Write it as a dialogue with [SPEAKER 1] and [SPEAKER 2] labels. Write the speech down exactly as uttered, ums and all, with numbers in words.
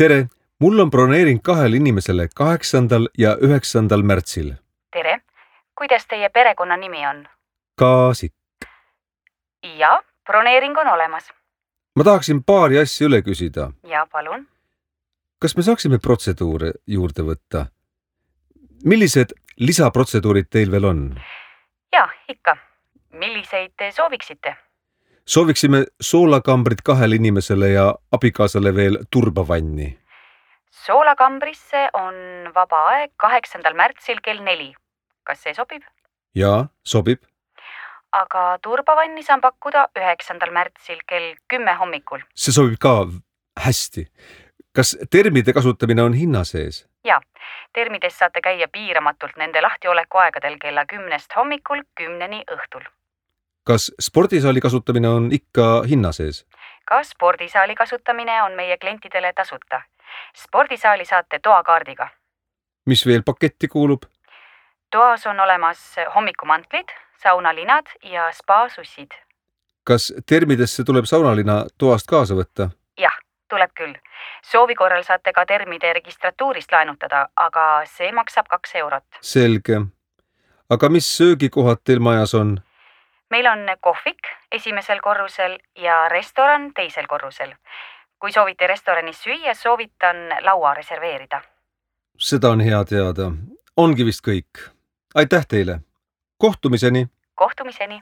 [SPEAKER 1] Tere, mul on broneering kahele inimesele kaheksandal ja üheksandal märtsil.
[SPEAKER 2] Tere, kuidas teie perekonna nimi on?
[SPEAKER 1] Kaasik.
[SPEAKER 2] Ja, broneering on olemas.
[SPEAKER 1] Ma tahaksin paari asja üle küsida.
[SPEAKER 2] Ja, palun.
[SPEAKER 1] Kas me saaksime protseduure juurde võtta? Millised lisaprotseduurid teil veel on?
[SPEAKER 2] Ja, ikka. Milliseid te sooviksite?
[SPEAKER 1] Sooviksime soolakambrit kahele inimesele ja abikaasale veel turbavanni.
[SPEAKER 2] Soolakambrisse on vaba aeg kaheksandal märtsil kell neli. Kas see sobib?
[SPEAKER 1] Jaa, sobib.
[SPEAKER 2] Aga turbavanni saan pakkuda üheksandal märtsil kell kümme hommikul.
[SPEAKER 1] See sobib ka hästi. Kas termide kasutamine on hinna sees?
[SPEAKER 2] Ja, termides saate käia piiramatult nende lahtioleku aegadel kella kümnest hommikul kümneni õhtul.
[SPEAKER 1] Kas spordisaali kasutamine on ikka hinna sees?
[SPEAKER 2] Ka spordisaali kasutamine on meie klientidele tasuta. Spordisaali saate toakaardiga.
[SPEAKER 1] Mis veel paketti kuulub?
[SPEAKER 2] Toas on olemas hommikumantlid, saunalinad ja spa-sussid.
[SPEAKER 1] Kas termidesse tuleb saunalina toast kaasa võtta?
[SPEAKER 2] Jah, tuleb küll. Soovi korral saate ka termide registratuurist laenutada, aga see maksab kaks eurot.
[SPEAKER 1] Selge. Aga mis söögikohad teil majas on?
[SPEAKER 2] Meil on kohvik esimesel korrusel ja restoran teisel korrusel. Kui soovite restoranis süüa, soovitan laua reserveerida.
[SPEAKER 1] Seda on hea teada. Ongi vist kõik. Aitäh teile. Kohtumiseni.
[SPEAKER 2] Kohtumiseni.